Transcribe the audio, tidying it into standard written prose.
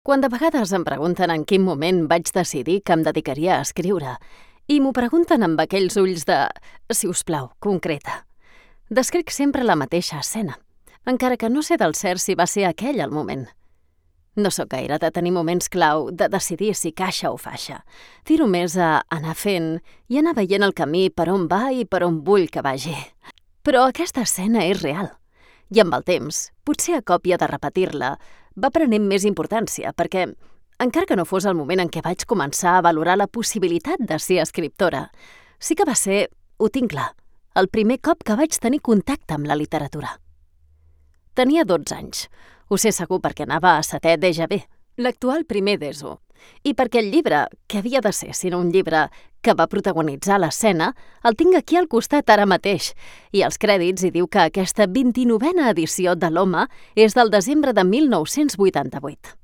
Quan de vegades em pregunten en quin moment vaig decidir que em dedicaria a escriure, i m'ho pregunten amb aquells ulls de «si us plau, concreta». Descric sempre la mateixa escena, encara que no sé del cert si va ser aquell el moment. No sóc gaire de tenir moments clau, de decidir si caixa o faixa. Tiro més a anar fent i anar veient el camí per on va i per on vull que vagi. Però aquesta escena és real. I amb el temps, potser a còpia de repetir-la, va prenent més importància, perquè, encara que no fos el moment en què vaig començar a valorar la possibilitat de ser escriptora, sí que va ser, ho tinc clar, el primer cop que vaig tenir contacte amb la literatura. Tenia 12 anys, ho sé segur perquè anava a 7è d'EGB, l'actual primer d'ESO, i perquè el llibre, que havia de ser sinó un llibre que va protagonitzar l'escena, el tinc aquí al costat ara mateix, i als crèdits hi diu que aquesta 29a edició de l'Home és del desembre de 1988.